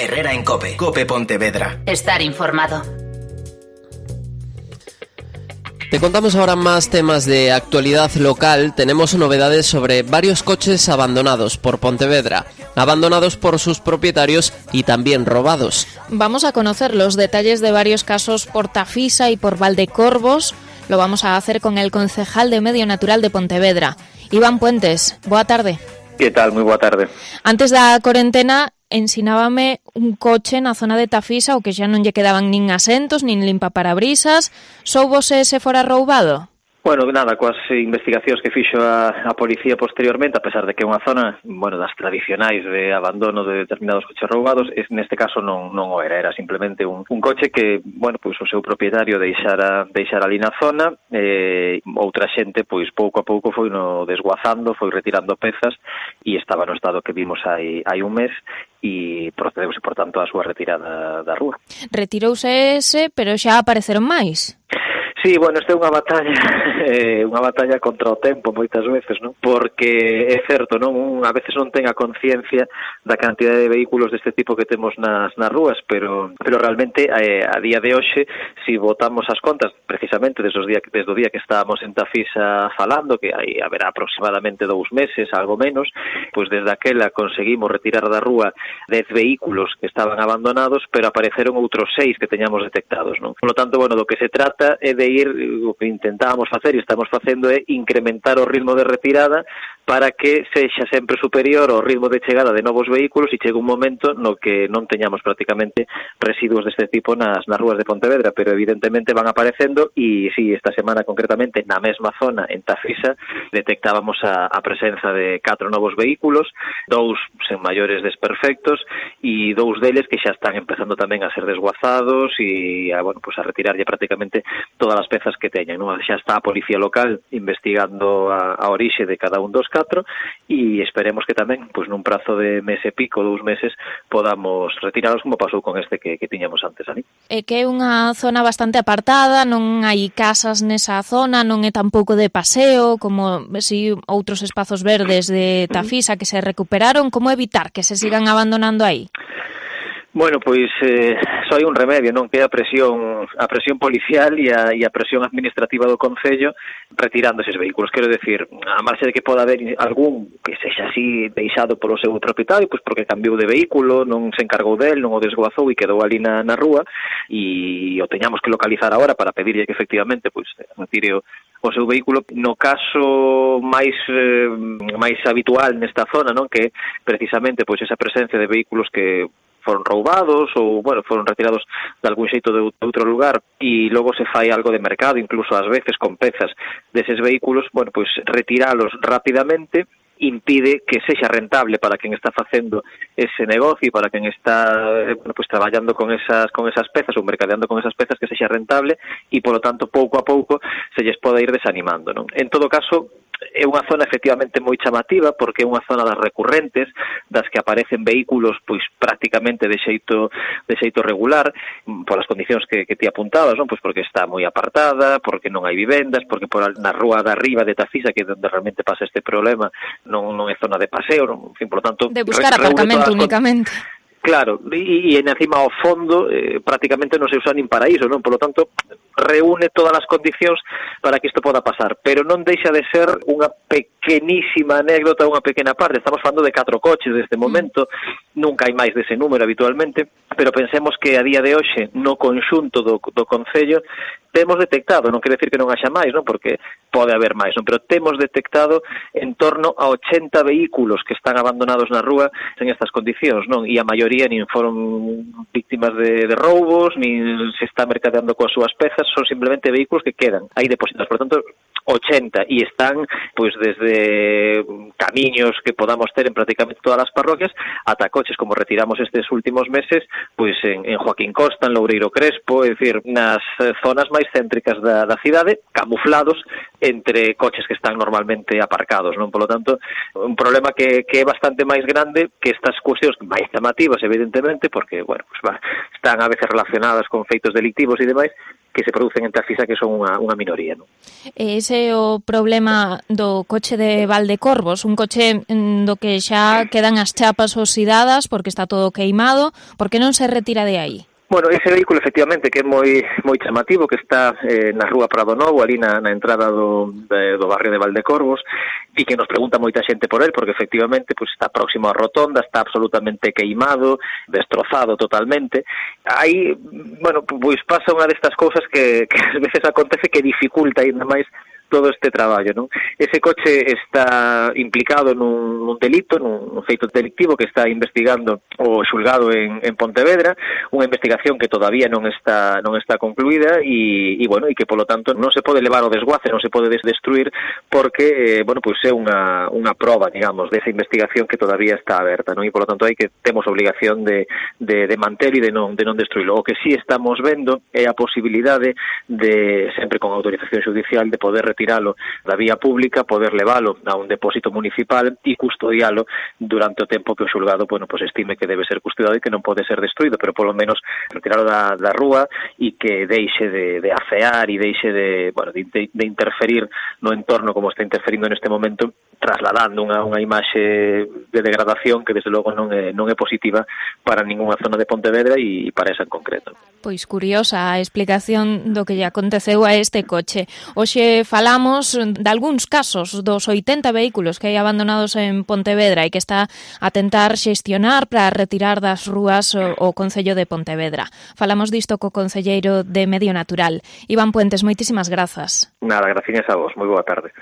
Herrera en COPE. COPE Pontevedra. Estar informado. Te contamos ahora más temas de actualidad local. Tenemos novedades sobre varios coches abandonados por Pontevedra, abandonados por sus propietarios y también robados. Vamos a conocer los detalles de varios casos por Tafisa y por Valdecorvos. Lo vamos a hacer con el concejal de Medio Natural de Pontevedra, Iván Puentes. Boa tarde. Que tal? Moi boa tarde. Antes da corentena, ensinábame un coche na zona de Tafisa o que xa non lle quedaban nin asentos, nin limpa-parabrisas. Soubose se fora roubado? Bueno, nada, coas investigacións que fixo a policía posteriormente, a pesar de que é unha zona, bueno, das tradicionais de abandono de determinados coches roubados, neste caso non o era simplemente un coche que, bueno, pois o seu propietario deixara ali na zona, outra xente, pois pouco a pouco foi no desguazando, foi retirando pezas e estaba no estado que vimos hai un mes e procedeuse, por tanto, a súa retirada da rúa. Retirouse ese, pero xa apareceron máis. Sí, bueno, esta é unha batalla contra o tempo moitas veces, non? Porque é certo, non? A veces non ten a conciencia da cantidade de vehículos deste tipo que temos nas rúas, pero realmente a día de hoxe, se botamos as contas, precisamente desde o día que estábamos en Tafisa falando, que aí haberá aproximadamente 2 meses, algo menos, pois desde aquela conseguimos retirar da rúa 10 vehículos que estaban abandonados, pero apareceron outros 6 que teñamos detectados, non? Por lo tanto, bueno, do que se trata é de o que intentábamos facer e estamos facendo é incrementar o ritmo de retirada para que sexa sempre superior ao ritmo de chegada de novos vehículos e chegue un momento no que non teñamos prácticamente residuos deste tipo nas rúas de Pontevedra, pero evidentemente van aparecendo e si, esta semana concretamente na mesma zona, en Tafisa, detectábamos a presenza de 4 novos vehículos, 2 sen maiores desperfectos e 2 deles que xa están empezando tamén a ser desguazados e a retirarlle prácticamente todas as pezas que teñan, non? Xa está a policía local investigando a orixe de cada un dos 4 e esperemos que tamén, pois nun prazo de mes e pico, 2 meses, podamos retiralos como pasou con este que tiñamos antes ali. É que é unha zona bastante apartada, non hai casas nesa zona, non é tampouco de paseo, como si outros espazos verdes de Tafisa que se recuperaron. Como evitar que se sigan abandonando aí? Bueno, pois só hai un remedio, non? Que é a presión policial e a presión administrativa do Concello retirando eses vehículos. Quero decir, a marxe de que poda haber algún que sexa así deixado polo seu propietario, pois porque cambiou de vehículo, non se encargou del, non o desguazou e quedou ali na rúa e o teñamos que localizar agora para pedirlle que efectivamente pois retire o seu vehículo. No caso máis habitual nesta zona, non? Que precisamente pois esa presencia de vehículos que foron roubados ou, bueno, foron retirados de algún xeito de outro lugar e logo se fai algo de mercado, incluso ás veces con pezas deses vehículos, bueno, pois retiralos rapidamente impide que sexa rentable para quen está facendo ese negocio e para quen está pues traballando con esas pezas ou mercadeando con esas pezas, que sexa rentable e, polo tanto, pouco a pouco se lles pode ir desanimando, non? En todo caso, é unha zona efectivamente moi chamativa porque é unha zona das recurrentes, das que aparecen vehículos pois prácticamente de xeito regular, polas condicións que ti apuntabas, non? Pois porque está moi apartada, porque non hai vivendas, porque na rúa de arriba de Tafisa, que é onde realmente pasa este problema, non é zona de paseo, non? En fin, por lo tanto, de buscar aparcamento únicamente. Claro, e encima ao fondo prácticamente non se usa nin para iso, non? Por lo tanto, reúne todas as condicións para que isto poda pasar, pero non deixa de ser unha pequenísima anécdota, unha pequena parte. Estamos falando de 4 coches deste momento, nunca hai máis dese número habitualmente, pero pensemos que a día de hoxe, no conxunto do Concello, temos detectado, non quere decir que non haxa máis, non? Porque pode haber máis, non? Pero temos detectado en torno a 80 vehículos que están abandonados na rúa en estas condicións, non? E a maioría nin foron víctimas de roubos, nin se está mercadeando coas súas pezas, son simplemente vehículos que quedan aí depositados. Por tanto, 80 e están pois desde camiños que podamos ter en prácticamente todas as parroquias ata coches como retiramos estes últimos meses pois en Joaquín Costa, en Loureiro Crespo, é dicir, nas zonas máis céntricas da cidade, camuflados entre coches que están normalmente aparcados, non? Por lo tanto, un problema que é bastante máis grande que estas cuestións máis chamativas, evidentemente, porque, bueno, pues están a veces relacionadas con feitos delictivos e demais, que se producen en Tafisa, que son unha minoría, non? Ese é o problema do coche de Valdecorvos, un coche do que xa quedan as chapas oxidadas porque está todo queimado. Por que non se retira de aí? Bueno, ese vehículo efectivamente que é moi chamativo, que está na rúa Prado Novo, ali na entrada do barrio de Valdecorvos, e que nos pregunta moita xente por él, porque efectivamente pues, está próximo á rotonda, está absolutamente queimado, destrozado totalmente. Aí, bueno, pois pasa unha destas cousas que ás veces acontece que dificulta ainda máis todo este traballo, non? Ese coche está implicado nun delito, nun feito delictivo que está investigando o xulgado en Pontevedra, unha investigación que todavía non está concluída e bueno, e que polo tanto non se pode levar ao desguace, non se pode destruir porque bueno, pois é unha proba, digamos, desa investigación que todavía está aberta, non? E polo tanto hai que temos obligación de mantelo e de non destruílo. O que sí estamos vendo é a posibilidade de, sempre con autorización judicial, de poder retiralo da vía pública, poder levalo a un depósito municipal e custodialo durante o tempo que o xulgado, bueno, pues estime que debe ser custodiado e que non pode ser destruído, pero polo menos retiralo da rúa e que deixe de afear e deixe de interferir no entorno como está interferindo neste momento, trasladando unha imaxe de degradación que desde logo non é positiva para ningunha zona de Pontevedra e para esa en concreto. Pois curiosa a explicación do que lle aconteceu a este coche. Hoxe falamos de algúns casos dos 80 vehículos que hai abandonados en Pontevedra e que está a tentar xestionar para retirar das rúas o Concello de Pontevedra. Falamos disto co concelleiro de Medio Natural. Iván Puentes, moitísimas grazas. Nada, gracias a vos. Moi boa tarde.